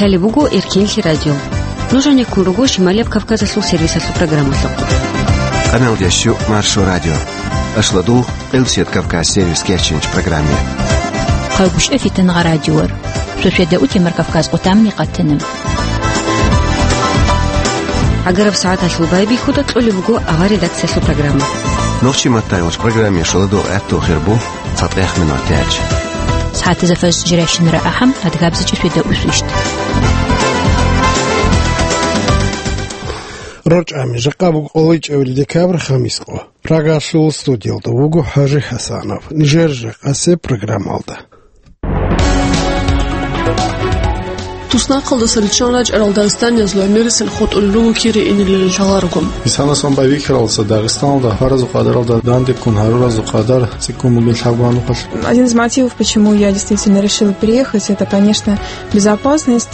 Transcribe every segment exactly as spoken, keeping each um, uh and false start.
Лъалеб буго Эркенлъи радио. Нуж гьанеккун руго Шималияб Кавказалъул сервисалъул программалъухъ. Къаналдящу Маршо радио. Ашладул Къилсият Кавказ сервис кеченч программе. Хъагушев Фитангъа радиор. Шошеда утемар Кавказ къутамни къатана. Агараб сагӀаталъул байбихьуда кьолеб буго авар редакциялъул программа. Нохчи маттайгъуч программе шоладул гӀаттул хирбу цатӀех минут тяч. СагӀатазда фажр жирайщинара ахӀам, адгабзичӀи шведа усвищт. РорчӀами жакъа буго къолайчӀебали декабрь хамис къо. Прагалъул студиялда вуго ХӀажи ХӀасанов. Нижер жакъасеб программалда. Туснахъалдаса риччан рачӀарал дагъистаниязул гӀемерисел хутӀулел руго кире инелел лъаларого. Исана сон байбихьаралдаса Дагъистаналда гьаразул къадаралда данде ккун гьаруразул къадар цӀикӀкӀун бугеб лъабгьанухъалъ. Один из мотивов, почему я действительно решила приехать, это, конечно, безопасность.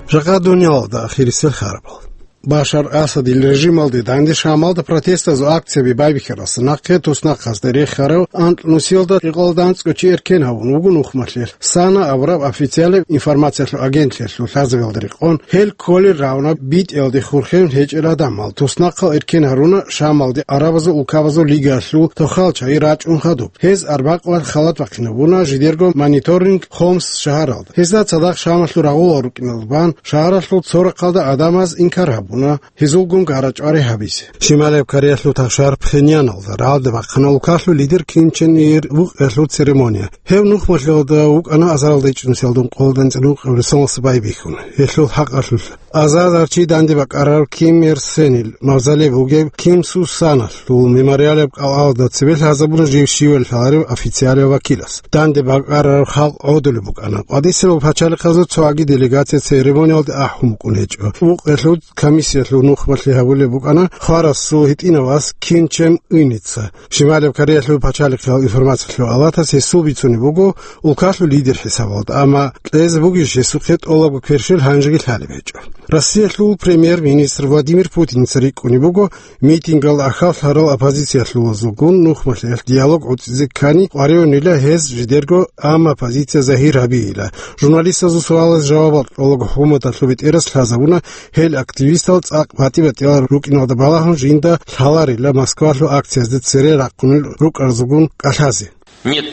Жакъа дуниялалда ахирисел харбал. Башар Асадил режималде данде Шамалда протестазул акцияби байбихьаралдаса нахъе туснахъазда рехарав анкь нусиялда кьикъоялда анцӀго чи эркен гьавун вуго нухмалъе. САНА абураб официалаб информациялъул агентлъиялъул лъазабиялда рекъон, гьел кколел равна битӀиялде хурхен гьечӀел гӀадамал. Туснахъал эркен гьаруна Шамалде Арабазул улкабазул лигаялъул тохал чагӀи рачӀун хадуб. Гьез арбакъ ва халат бахъинабуна жидерго мониторинг Хомс шагьаралда. Гьезда цадахъ Шамалъул рагъулал рукӀиналда бан шагьаралъул цо рахъалда гӀадамаз инкар гьабуна гьезулгун гара-чӀвари гьабизе. Шималияб Кореялъул тахшар Пхеньяналда рагӀалде бахъана улкалъул лидер Ким Чен Ир вукъиялъул церемония. Гьев нухмалъиялда вукӀана азаралда ичӀнусиялдун къоло дандчӀван вукъиялъул соналъ байбихьун. Гьелъул хӀакъалъулъ азариларчи данде бакӀарарав Ким Ир Сенил мавзолей бугеб Ким Су Саналъул мемориалаб кӀалалда цебе лъазабуна жив щивали лъаларев официалияв вакилас. Данде бакӀарараб халкъ гӀодулеб букӀана. КъватӀисел пачалихъазул цоги делегация церемониялде ахӀун букӀун гьечӀо. Вукъиялъул комиссиялъул нухмалъи гьабулеб букӀана хварасул гьитӀинав вас Ким Чен Ыница. Шималияб Кореялъул пачалихъал информациялъул палатас гьесул бицунеб буго улкалъул лидер хӀисабалда, амма кьезе бугищ гьесухъе тӀолабго кверщел гьанжеги лъалеб гьечӀо. Россиялъул премьер-министр Владимир Путинца рикӀкӀунеб буго митингал ахьаллъарал оппозициялъулазулгун нухмалъиялъ диалог гӀуцӀизе ккани къваригӀунила гьез жидерго, амма позиция загьир гьабейила. Журналистазул суалаз жавабал кьолаго хӀумадалъул бетӀерас лъазабуна гьел активистал цӀакъ батӀи-батӀиял рукӀиналда балагьун жинда лъаларила Москвалъул акциязда цере рахъунел рукӀарзулгун кӀалъазе. Нет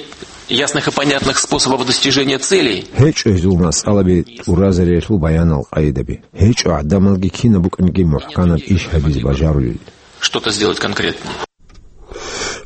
ясных и понятных способов достижения целей. ГьечӀо гьезул масъалаби тӀуразариялъул баянал къайдаби. ГьечӀо гӀадамалги кинаб букӀанги мухӀканаб иш гьабизе бажарулел. Что-то сделать конкретно.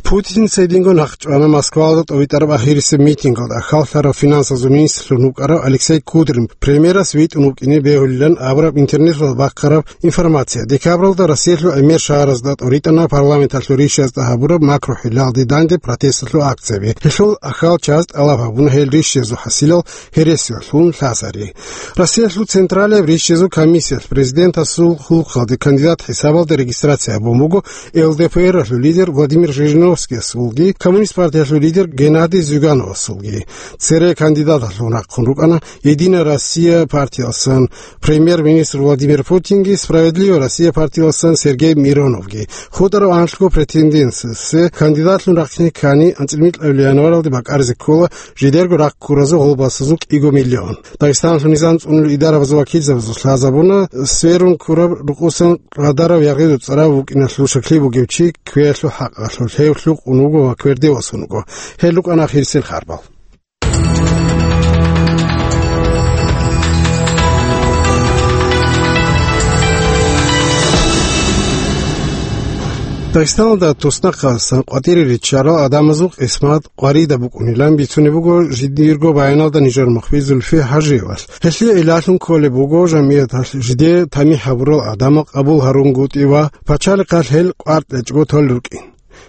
Путин цединго нахъчӀвана Москвалда тӀовитӀараб ахирисеб митингалда ахьаллъарав финансазул министрлъун вукӀарав Алексей Кудрин премьерас витӀун вукӀине бегьулилан абураб интернеталда бахъараб информация. Декабралда Россиялъул гӀемер шагьаразда тӀоритӀана парламенталъул ришазда гьабураб макрохӀилалде данде протесталъул акцияби. Гьелъул ахьал чаз тӀалаб гьабуна гьел ришазул хӀасилал гьересиялъун лъазари. Россиялъул Централияб ришазул комиссиялъ президентасул хьулухъалде кандидат хӀисабалда регистрация гьабун буго ЛДПР-алъул лидер Владимир Жириновскиясулги, Коммунист партиялъул лидер Геннадий Зюгановасулги. Цере кандидаталъун рахъун рукӀана Единая Россия партиялъсан премьер-министр Владимир Путинги, Справедливая Россия партиялъсан Сергей Мироновги. ХутӀарав анлъго претендентасе кандидатлъун рахъине ккани, анцӀила микьабилеб январалде бакӀаризе ккола жидерго рахъ ккуразул гъолбасазул кӀиго миллион. Дагъистаналъул низам цӀунулел идарабазул вакилзабазул лъазабуна, сверун ккураб рукъусан къадарав ягъиду цӀарав вукӀиналъул шаклъи бугев чи кквеялъул хӀакъалъулъ, гьев лъукъун вуго ва кверде васун вуго. Гьел рукӀана ахирисел харбал. Дагъистаналда туснахъасан къватӀире риччарал гӀадамазул къисмат къваридаб букӀунилан бицунеб буго жидерго баяналда нижер мухбир Зульфи ХӀажиевалъ. Гьелъие гӀиллалъун кколеб буго жамигӀаталъ жиде тамихӀ гьабурал гӀадамал къабул гьарунгутӀи ва пачалихъалъ гьел къваркьечӀого толел рукӀин.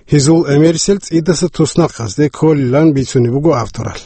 Гьезул гӀемерисел цӀидаса туснахъазде кколилан бицунеб буго авторалъ.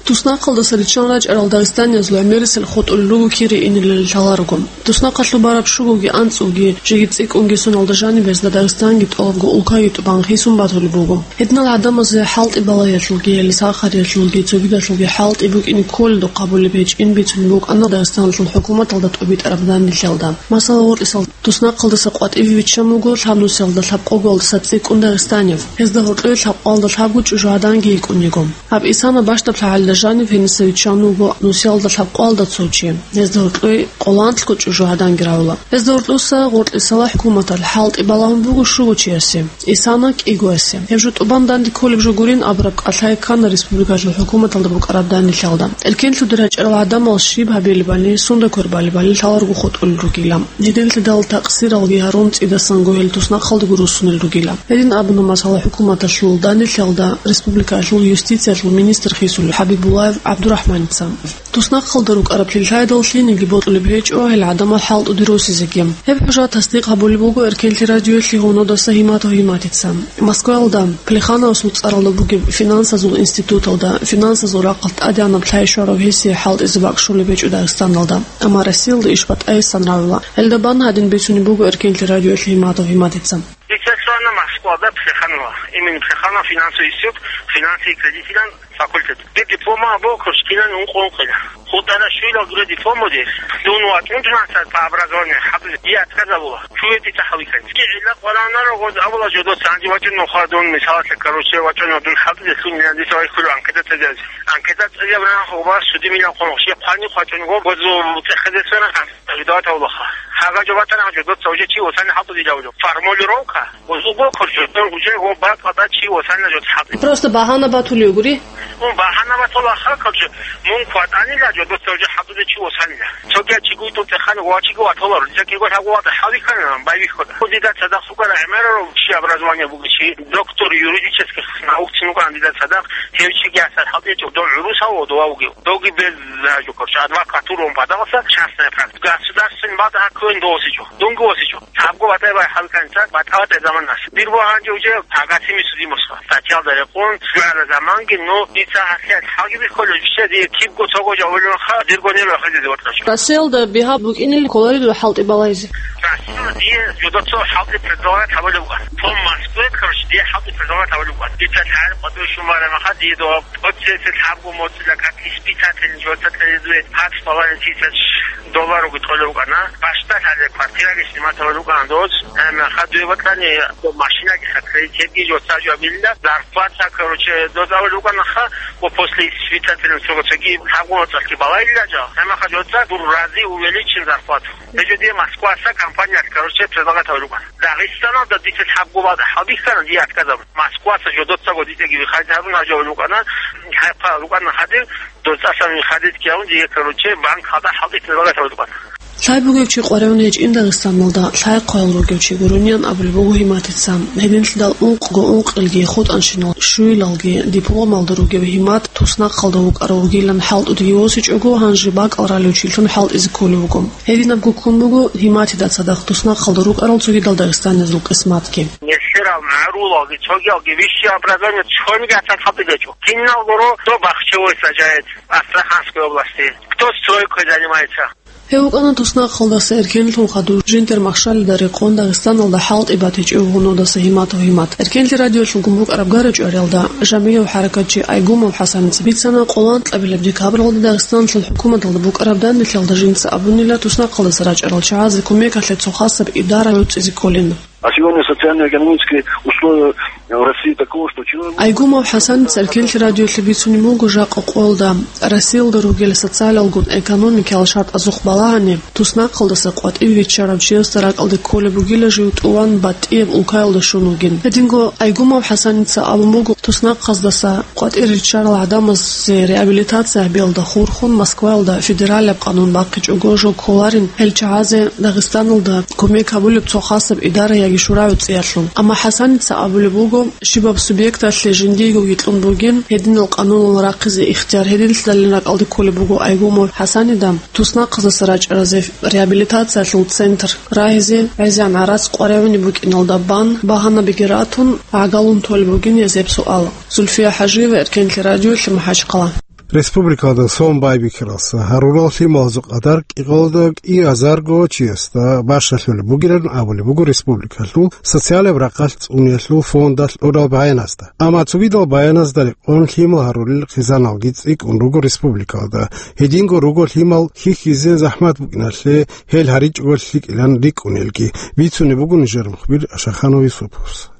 Туснахъалдаса риччан рачӀарал дагъистаниязул гӀемерисел хутӀулел руго кире инелел лъаларого. Туснахъалъуб бараб щугоги анцӀгоги жеги цӀикӀкӀунги соналда жаниб гьезда Дагъистанги тӀолабго улкаги тӀубан хисун батулеб буго. Гьединал гӀадамазе хӀалтӀи балагьиялъулги, лисахариялъулги, цогидалъулги хӀалтӀи букӀине кколелдухъ гьабулеб гьечӀин бицунеб букӀана Дагъистаналъул хӀукуматалда тӀобитӀараб данделъиялда. Масала, гъоркьисал туснахъалдаса къватӀиве виччан вуго лъабнусиялда лъабкъоголдаса цӀикӀкӀун дагъистанив. Гьезда гьоркьове лъабкъоялда лъабго чӀужугӀаданги йикӀун йиго. Гьаб Исана бащдаб лъагӀалил Жанив гьениса виччан вуго нусиялда лъабкъоялда цо чи. Гьезда гьоркьой къоланлъго чӀужу гӀаданги равула. Гьезда гьоркьоса гъоркьисала хӀукуматалъ хӀалтӀи балагьун буго щуго чиясе. Исана кӀигоясе. Гьеб жо тӀубан данде кколеб жо гурин абураб кӀалъай ккана республикалъул хӀукуматалда букӀараб данделъалда. Эркенлъудер рачӀарал гӀадамал щиб гьабилебали, сунда квербалебали лъаларого хутӀулел ругила. Гьединлъидал такъсиралги гьарун цӀидасан гугьел туснахъалдаго руссунел ругила. Гьедин абуна масала хӀукуматалъул данделъалда республикалъул юстициялъул министр хисулев ХӀабибуллаев ГӀабдурахӀманица. Туснахъалда рукӀараб лъилъаялда лъиениги бокьулеб гьечӀо гьел гӀадамал хӀалтӀуде росизеги. Гьеб хӀужа тасдикъ гьабулеб буго Эркенлъи радиоялъе гьунодаса Гьиматов Гьиматица. Москваялда Плехановасул цӀаралда бугеб финансазул институталда финансазул рахъалъ тӀадегӀанаб лъай щварав гьесие хӀалтӀизе бакӀ щолеб гьечӀо Дагъистаналда, амма Россиялда иш батӀайилан равила. Гьелда бан гьадин бицунеб буго Эркенлъи радиоялъе Гьиматов Гьиматица. Дица лъугьана Москвада Плеханова, имени Плеханова финансовый институт, финансы и кредитилан факультет. Дир диплома абула курс кинани ункъо-ункъила. ХутӀара щуйла гуре дипломуде, дун вачӀун дунаса по образованию хӀатӀуде, дие отказабула. Чуе дица хӀаликан. Ки гӀилла къваранара гъоз абула жодоца анди вачӀун нухъа дун, мисалалъе, короче, вачӀун дун хӀатӀуде лъун дица вайхъулев анкета цӀезазе. Анкета цӀезаб ран хъуба судимилан хъун хъуше хъвани хъвачӀун гъо гъозу цӀехезесвана. Жидават авлаха. Хагажо батана жодоца уже чи осани хӀатӀу дилавлу. Формулировка. Узуго курчу, уже го бакъада чи осани жод хӀатӀу. Просто багьана батулев гури? Ун багьана батулаха курчу. Мун кватанила жодоца уже хӀатӀу де чи осанила. Цоги чи гуйту техани вачиго ватола, рузакиго хагу вата хавикана, байвихода. Дида цадахъ сукара гӀемерару чи образование бугичи, доктор юридических наук цинукан дида цадахъ, гьев чиги асар хӀатӀичӀо, дов гӀурусав, дова вугев. Доги без жо, короче, адвокатурун бадалса частная практика. Государственный бада хакуен досичо. Дунги осичо. Табго батай бай халканца, батаватая заманас. Дир бо гьанже уже пагасими судимосха. Статьялда рекъон, сугӀала заманги, но дица гьасият хӀалги биххолел, вище дие кибго цого жавулевха, дирго нело хӀалги дивартлъачо. Россиялда бигьа букӀинил кколаридул хӀалтӀи балайзе. Россияла дие жодоцо хӀалтӀи предлагать гьабулев вуган. По Москве, короче, дие хӀалтӀи предлагать гьабулев вуган. Дица лъагӀел къватӀив шумара маха дие дова. Оцесел лъабго моцӀила как испытатель жо цӀакъ гьезуе пац балани тисач доллар уги тӀолев вукӀана. Бащдалъазе квартираги сниматавал рукӀана доз. Гьанна хадуе батани машинаги хакрей, кебги жо цӀа жо абилла. Зарплата, короче, доз авал рукӀана ха, ва после испытатель цого цоги лъабго моцӀалъги балайилла жо. Гьанна ха жо цӀа дур рази увеличен зарплату. Гьечо дие Москваса компания, короче, предлагать авал рукӀана. Дагъистаналда дица лъабго бада хӀалбихьана, дие отказаб. Москваса жодоцаго дитеги вихадин гьабун гьажав рукӀана, хӀайхъа рукӀана хадир, доцӀасан вихадит кияун дие, короче, банк хада хӀалтӀи предлагать гьабун рукӀана. Лъай бугев чи къваригӀун гьечӀин Дагъистаналда, лъай хъваял ругев чи гурониан абулеб буго Гьиматица. Гьединлъидал ункъго ункъилги хутӀанщинал щуйлалги дипломалда ругев Гьимат туснахъалда вукӀарав вугилан хӀалтӀудеги восичӀого, гьанже бакӀал ралев чилъун хӀалтӀизе кколев вуго. Гьединабго ккун буго Гьиматида цадахъ туснахъалда рукӀарал цогидал дагъистанизул къисматги. Нилъерал магӀарулалги, цогиялги высшее образование цониги гьатӀан хӀалтӀи гьечӀо. Кинал гуро, кто бахчевой сажает в Астраханской области, кто стройкой занимается. Гьев вукӀана туснахъалдаса эркенлъун хадур жиндир махщалида рекъон Дагъистаналда хӀалтӀи батичӀев гьунодаса Гьиматов Гьимат. Эркенлъи радиолъулгун букӀараб гара чӀваралда, Жамилев хӀаракатчи Айгумов ХӀасаница бицана къолан кьабилеб декабралда Дагъистаналъул хӀукуматалда букӀараб данделъалда жинца абунила туснахъалдаса рачӀарал чагӀазе кумекалъе цо хасаб идара гӀуцӀизе кколин. А сегодня социально-экономические условия в России такого, что человек... Айгумов ХӀасаница Эркенлъи радиолъе бицунеб буго жакъа къолда. Россиялда ругел социалалгун экономикиял шартӀазухъ балагьани, туснахъалдаса къватӀив виччарав чиясда ракӀалде кколеб бугила жив тӀуван батӀияб улкаялда щун вугин. Гьединго Айгумов ХӀасаница абун буго, туснахъаздаса къватӀир риччарал гӀадамазде реабилитация гьабиялда хурхун Москваялда федералияб къанун бахъичӀого жо кколарин гьел чагӀазе Дагъистаналда кумек гьабулеб цо хасаб идара яги шура гӀуцӀиялъул. Амма ХӀасаница абулеб буго, щибаб субъекталъе жиндиего витӀун бугин гьединал къанунал рахъизе ихтияр. Гьединлъидалин ракӀалде кколеб буго Айгумов ХӀасанида туснахъаздаса рачӀаразе реабилитациялъул центр рагьизе гӀезегӀан гӀарац къваригӀунеб букӀиналда бан, багьанабиги ратун, гӀагалун толеб бугин гьез гьеб суал. Зульфия ХӀажиева, Эркенлъи радиолъи, МахӀачхъала. Республикалда сон байбихьаралса гьарурал лъималазул къадар кӀикъоялда кӀиазарго чиясда бащалъулеб бугилан абулеб буго республикалъул социалияб рахъалъ цӀуниялъул фондалъ кьурал баяназда. Амма цогидал баяназда рекъон лъимал гьарулел хъизаналги цӀикӀкӀун руго республикалда. Гьединго руго лъимал хьихьизе захӀмат букӀиналъе гьел гьаричӀого лъикӀилан рикӀкӀунелги, бицунеб буго нижер мухбир Ашарханов Юсуповс.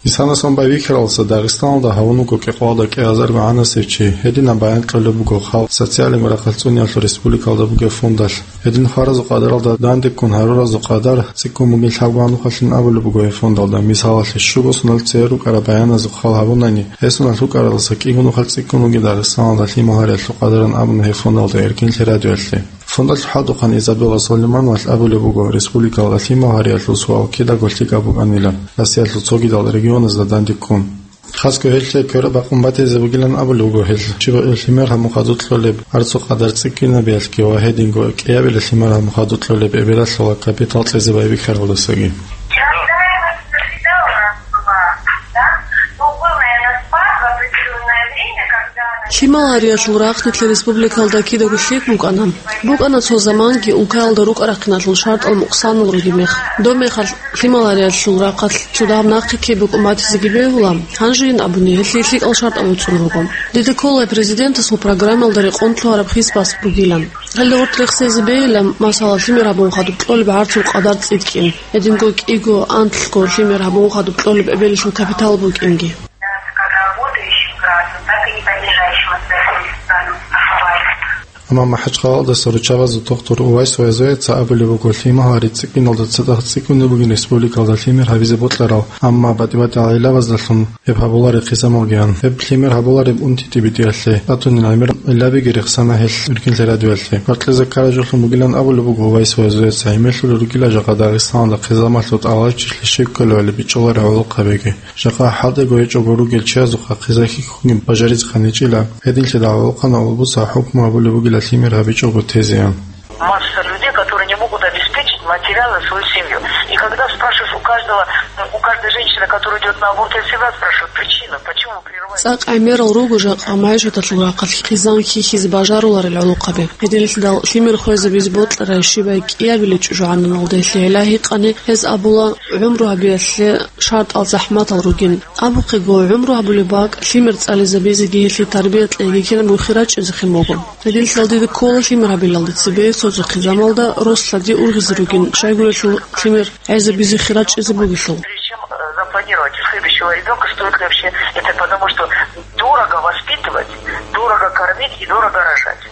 Исанасан байбихьаралдаса Дагъистаналда гьавун вуго кӀикъоялда кӀиазарго гӀанасев чи. Гьединаб баян кьолеб буго халкъ социальный рахъалъ цӀуниялъул республикалда бугеб фондалъ. Гьедин хваразул къадаралда данде ккун гьаруразул къадар цӀикӀкӀун бугин лъабгоан нухалъин абулеб буго гьеб фондалда. Мисалалъе, щуго соналъ цере рукӀараб баяназухъ хал гьабунани, гьесуналъ рукӀаралдаса кӀиго нухалъ цӀикӀкӀун бугин Дагъистаналда лъимал гьариялъул къадаран абуна гьеб фондалда Эркинлъи радиоялъе. Фондалъ хӀалтӀухъан Изабелла Сулеймановалъ абулеб буго, республикалда лъимал гьариялъул суал кидаго лъикӀаб букӀанила, Россиялъул цогидал регионазда данде ккун. Хасго гьелъие квераб бакъун батизе бугилан абулеб буго гьел, щиб лъимер гьабун хадуб кьолеб гьарцул къадар цӀикӀкӀинабиялъги ва гьединго кӀиабила лъимер гьабун хадуб кьолеб эбелалъула капитал кьезе байбихьаралдасаги. Лъимал гьариялъул рахъ нилъер республикалда кидаго лъикӀ букӀана. БукӀана цо заманги улкаялда рукӀа-рахъиналъул шартӀал мукъсанал ругеб мех. Доб мехалъ лъимал гьариялъул рахъалъ цо дагьаб нахъе ккей букӀун батизеги бегьула, гьанжейин абуни, гьелъие лъикӀал шартӀал гӀуцӀун руго. Дида ккола президентасул программаялда рекъон лъугьараб хисбас бугилан. Гьелда гъоркь рехсезе бегьилан, масала, лъимер гьабун хадуб кьолеб гьарцул къадар цӀикӀкӀин, гьединго кӀиго, анлъго лъимер гьабун хадуб кьолеб эбелалъул капитал букӀинги. Амма МахӀачхъалаялдаса руччабазул тухтур Увайс Вайзояца абулеб буго, лъимал гьари цӀикӀкӀиналда цадахъ цӀикӀкӀунеб бугин республикалда лъимер гьабизе бокьарал, амма батӀи-батӀи гӀилабаздалъун гьеб гьабулареб хъизамалгиян. Гьеб лъимер гьабулареб унти-тӀибитӀиялъе, тӀатунил гӀемер гӀиллабиги рехсана гьел Эркинлъи радиоялъе. Гьоркье заккараб жолъун бугилан абулеб буго Увайс Вайзояца, гьемерлъулел ругила жакъа Дагъистаналда хъизамалъул тӀалабчилъи щиб кколевали бичӀчӀуларел гӀолохъабиги. Жакъа хӀалтӀиго гьечӀого ругел чиясухъа хъиза хьихьунги бажаризе хъаничӀила, гьединлъидал гӀолохъанав автобусалъ хӀукму гьабулеб бугила лъимер гьабичӀого тезеян. Масса людей, которые не могут обеспечить материально свою семью. И когда спрашиваешь у каждого, у каждой женщины, которая идёт на аборт, я всегда спрашиваю причину, почему вы прерываете. ЦӀакъ гӀемерал руго жакъа магӀишаталъул рахъалъ хъизан хьихьизе бажаруларел гӀолохъаби. Гьединлъидал лъимер хвезабизе бокьарай щибай кӀиабилеб чӀужугӀананалда гьелъие гӀилла гьикъани, гьез абула, гӀумру гьабиялъе шартӀал захӀматал ругин. Абухъего, гӀумру гьабулеб бакӀ, лъимер цӀализабизеги гьелъие тарбия кьеги кинабго хирачӀезехъин буго. Гьединлъидал дида ккола лъимер гьабилалде цебе цо-цо хъизамалда рос-лъади ургъизе ругин, щайгурелъул лъимер гӀезабизе хирачӀезе бугелъул. Прежде чем, э, запланировать следующего ребёнка, стоит ли вообще это, потому что дорого воспитывать, дорого кормить и дорого рожать.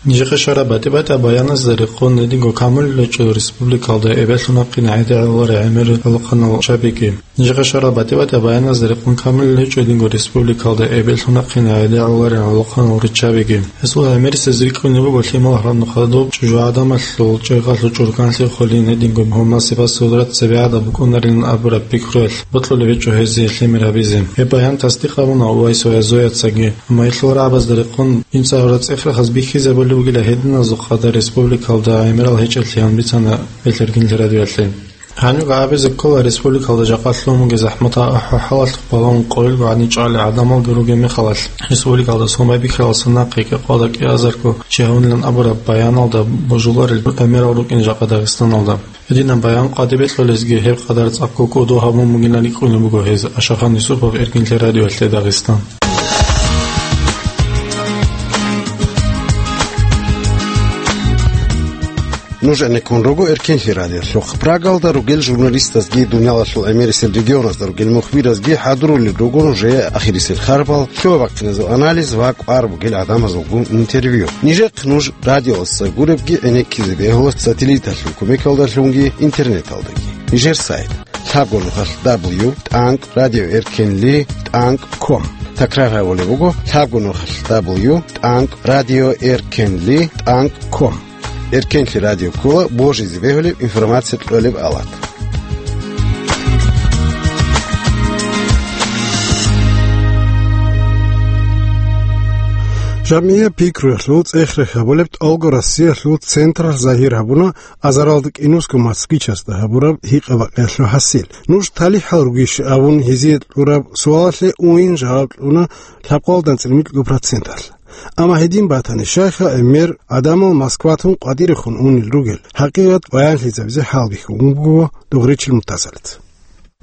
Нижехъе щвараб батӀи-батӀияб баяназда рекъон, гьединго камулилев гьечӀо республикалда эбеллъун вахъине гӀедегӀуларел гӀемерал гӀолохъанал руччабиги. Нижехъе щвараб батӀи-батӀияб баяназда рекъон камулилев гьечӀо гьединго республикалда эбеллъун вахъине гӀедегӀуларел гӀолохъанал руччабиги. Гьесул гӀемерисез рикӀкӀунеб буго лъимал гьарун хадуб чӀужугӀаданалъул чӀегъалъул чӀурканлъи холин, гьединго гьумал сипат-сурат цебегӀадан букӀунарилан абураб пикруялъ бокьулеб гьечӀо гьезие лъимер гьабизе. Гьеб баян тасдикъ гьабуна Увайс Вайзояцаги. Амма гьелъул рагӀабазда рекъон, имцӀагьураб цӀех-рехаз бихьизабулеб бугила гьединазул къадар республикалда гӀемерал гьечӀеллъи гьан бицана гьел Эркинлъи радиоялъе. Гьаниб абизе ккола, республикалда жакъа лъугьун бугеб захӀматал ахӀи-хӀалалъухъ балагьун къойилго гӀадин чӀвалел гӀадамалги ругеб мехалъ, республикалда сон байбихьаралдаса нахъе кӀикъоялда кӀиазарго чи гьавунилан абураб баяналда божуларел гӀемерал рукӀин жакъа Дагъистаналда. Гьединаб баян къватӀибе кьолезги гьеб къадар цӀакъго кӀодо гьабун бугилан рикӀкӀунеб буго гьез. Ашахан Юсупов, Эркинлъи радиоялъе, Дагъистан. Нуж гӀенеккун руго Эркинлъи радиолъухъ. Прагалда ругел журналистазги, дуниялалъул гӀемерисел регионазда ругел мухбиразги хӀадурулел руго нужее ахирисел харбал, лъугьа-бахъиназул анализ ва кӀвар бугел гӀадамазулгун интервью. Нижехъ нуж радиоялдаса гуребги гӀенеккизе бегьула сателлиталъул кумекалдалъунги интернеталдаги. Нижер сайт: лъабго нухалъ дабл ю тӀанкӀ радио эркенли тӀанкӀ ком. Такрар гьабулеб буго: лъабго нухалъ дабл ю тӀанкӀ радио эркенли тӀанкӀ ком. Эркенлъи радио ккола божизе бегьулеб информация кьолеб алат. ЖамгӀияб пикруялъул цӀех-рех гьабулеб тӀолго Россиялъул централъ загьир гьабуна азаралда кӀинусго москвичасда гьабураб гьикъа-бакъиялъул хӀасил. Нуж талихӀал ругищ абун гьезие кьураб суалалъе уйин жаваб кьуна лъабкъоялда анцӀила микьго проценталъ. Амма гьедин батани, щайха гӀемер гӀадамал Москватун къватӀирехун унел ругел, хӀакъикъат баянлъизабизе хӀалбихьун буго Дугъричил Муртазалица.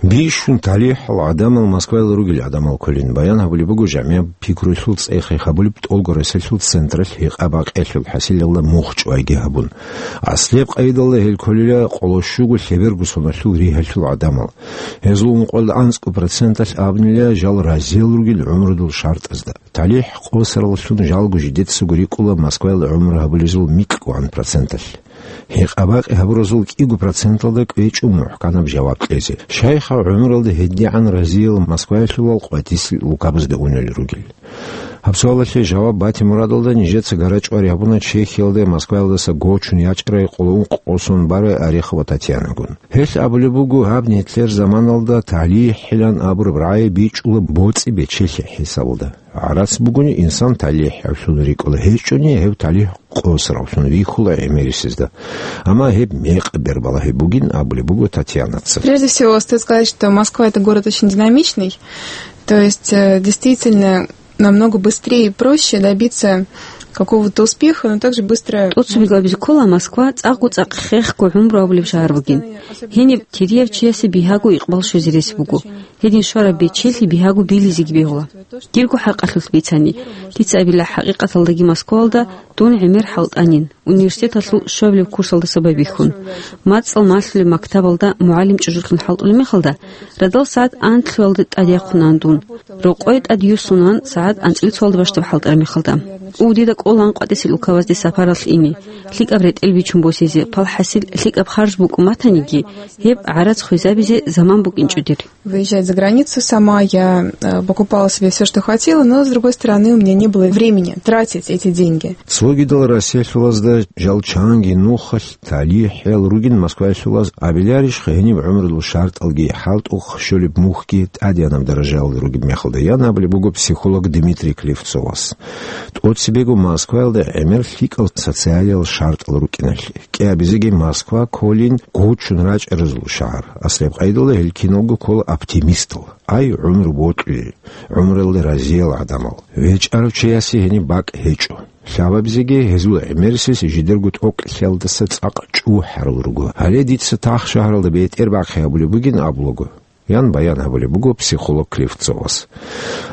Бищун талихӀал гӀадамал Москваялда ругел гӀадамал кколин. Баян гьабулеб буго, жамигӀаб пикруялъул цӀехи гьабулеб тӀолго Россиялъул централъ гьекъа-бакъиялъул хӀасилалда мухь чӀвайги гьабун. Аслияб къайдалда гьел кколила къоло щуго лъеберго соналъул ригьалъул гӀадамал. Гьезул ункъоялда анцӀго проценталъ абунила жал разиял ругел гӀумрудул шартӀазда. ТалихӀ къосараллъун жалго жидецаго рикӀкӀула Москваялда гӀумру гьабулезул микьгогӀан проценталъ. Гьекъа-бакъи гьабуразул кӀиго проценталда кӀвечӀо мухӀканаб жаваб кьезе. Щайха гӀумруялда гьедигӀан разиял москваялъулал къватӀисел улкабазда унел ругел? Гьаб суалалъе жаваб бате мурадалда нижеца гарачӀвари гьабуна Чехиялда Москваялдаса гочун ячӀарай къоло ункъ къосун барай Орехова Татьянагун. Гьелъ абулеб буго, гьаб нилъер заманалда талихӀилан абураб рагӀи бичӀчӀула боцӀи-бечелъи хӀисабалда. ГӀарац бугони, инсан талихӀавлъун рикӀкӀула, гьечӀони гьев талихӀ къосаравлъун вихьула гӀемерисезда. Амма гьеб мекъаб бербалагьи бугин абулеб буго Татьянаца. Прежде всего, стоит сказать, что Москва — это город очень динамичный. То есть, э, действительно, намного быстрее и проще добиться какого-то успеха, но также быстро... ТӀоцебе абизе ккола, Москва цӀакъго-цӀакъ хехго гӀумру абулеб шагьар бугин. Гьениб терияв чиясе бигьаго икъбал щвезе рес буго. Гьедин щвараб бечелъи бигьаго билизеги бегьула. Дирго хӀакъалъулъ бицани, дица абила, хӀакъикъаталдаги Москваялда дун гӀемер хӀалтӀанин, университеталъул щуабилеб курсалдаса байбихьун. МацӀал малъулеб мактабалда мугӀалим чӀужулъун хӀалтӀулеб мехалда, радал сагӀат анлъуялда тӀадяхъунан дун. Рокъое тӀад юссунан сагӀат анцӀила цоялда бащдаб хӀалтӀараб мехалда. У, дида кӀолаан къватӀисел улкабазде сапаралъ ине, лъикӀаб ретӀел бичун босизе, палхӀасил лъикӀаб харж букӀун батаниги, гьеб гӀарац хвезабизе заман букӀинчӀо дир. Выезжать за границу сама, я, э, покупала себе всё, что хотела, но, с другой стороны, у меня не было времени тратить эти деньги. Цогидал Россиялъулазда жал чанги нухалъ талихӀал ругин Москваялъулаз абиларищха гьениб гӀумрудул шартӀалги хӀалтӀухъ щолеб мухьги тӀадегӀанаб даражаялда ругеб мехалда, ян абулеб буго психолог Дмитрий Клевцовас. ТӀоцебего Москваялда гӀемер лъикӀал социалиял шартӀал рукӀиналъе. КӀиабизеги Москва кколин гочун рачӀаразул шагьар. Аслияб къайдалда гьел киналго ккола оптимистал. Ай, гӀумру бокьули, гӀумруялда разиял гӀадамал. ВечӀарав чиясе гьениб бакӀ гьечӀо. Лъабабизеги гьезул гӀемерисез жидерго тӀокӀлъиялдаса цӀакъ чӀухӀарал руго. Гьале дица тахшагьаралда бетӀер бахъи гьабулеб бугин абулаго, ян баян гьабулеб буго психолог Клевцовас.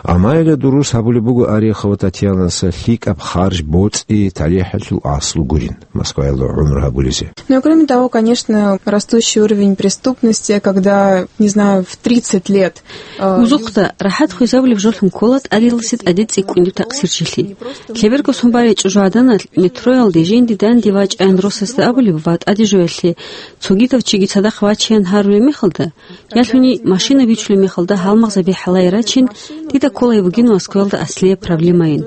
Амма гьеле дурус гьабулеб буго Орехова Татьянаса лъикӀаб харж боцӀи талихӀалъул аслу гурин, Москваялда гӀумру гьабулезе. Ну и кроме того, конечно, растущий уровень преступности, когда, не знаю, в тридцать лет, э, Узухъда, рахӀат хвезабулеб жолъун ккола тӀадиласе тӀаде цӀикӀкӀунеб такъсирчилъи. Лъеберго сон барай чӀужугӀаданалъ метроялде жинди данде вачӀаян росасда абулеб ва тӀаде жоялъе цогидав чиги цадахъ вачеян гьарулеб мехалда, ялъуни машина бичулеб мехалда гьалмагъзаби хӀалае рачин, дида кколай бугин Москваялда аслияб проблемайин.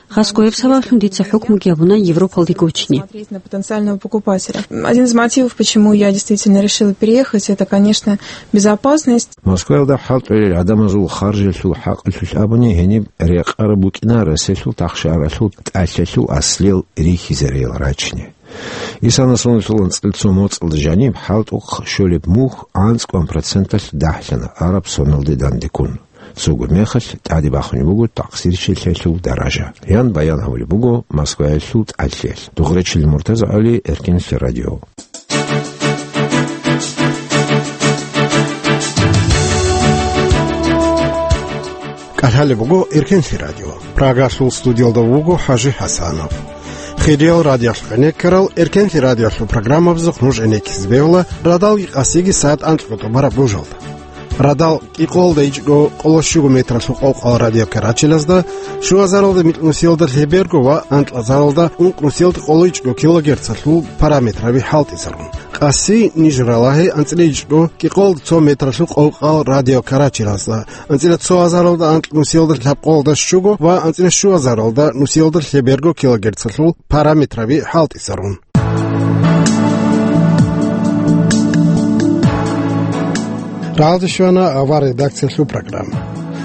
Хасго гьеб сабаблъун дица хӀукмуги гьабуна Европалде гочине. Смотреть на потенциального покупателя. Один из мотивов, почему я действительно решила переехать, это, конечно, безопасность. Москваялда хӀалтӀулел гӀадамазул харжалъул хӀакъалъулъ абуни, гьениб рекъараб букӀина Россиялъул тахшагьаралъул тӀалъалъул аслиял рихьизариял рачине. Исана соналъул анцӀила цо моцӀалда жаниб хӀалтӀухъ щолеб мухь анцӀгоан проценталъ дагьлъана араб соналде дандеккун. Цого мехалъ тӀаде бахунеб буго такъсирчилъиялъул даража, ян баян гьабулеб буго Москваялъул тӀалъиялъ. Дугърачил Муртаза ГӀали, Эркенлъи радио. КӀалъалеб буго Эркенлъи радио. Прагалъул студиялда вуго ХӀажи ХӀасанов. Хириял радиоялъухъ гӀенеккарал Эркенлъи радиоялъул программабазухъ нуж гӀенеккизе бегьула радалги къасиги сагӀат анкьго тӀубараб божалда. Радал кӀикъоялда ичӀго къоло щуго метралъул къокъал радиокарачелазда, щуазаралда микьнусиялда лъеберго ва анкьазаралда ункънусиялда къоло ичӀго килогерцалъул параметраби хӀалтӀизарун. Къаси ниж ралагье анцӀила ичӀго кӀикъоялда цо метралъул къокъал радиокарачелазда, анцӀила цоазаралда анкьнусиялда лъабкъоялда щуго ва анцӀила щуазаралда нусиялда лъеберго килогерцалъул параметраби хӀалтӀизарун. Рагьалде щвана авар редакциялъул программа.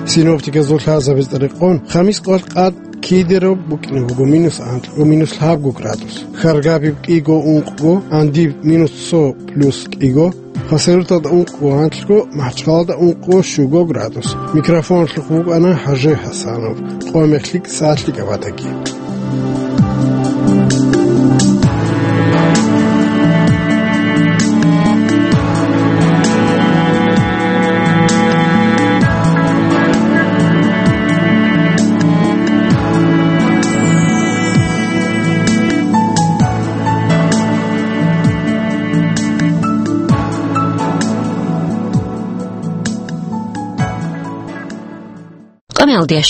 Синоптиказул лъазабиз рекъон, хамис къвалъ къад кидераб букӀине буго минус анкьго, минус лъабго градус. Хьаргабиб кӀиго ункъго, Андиб минус цо плюс кӀиго, Хасавюрталда ункъго анкьго, МахӀачхъалада ункъго щуго градус. Микрофоналъухъ вукӀана ХӀажи ХӀасанов. Къоялъ лъикӀ сагӀат лъикӀаб батаги. Алдия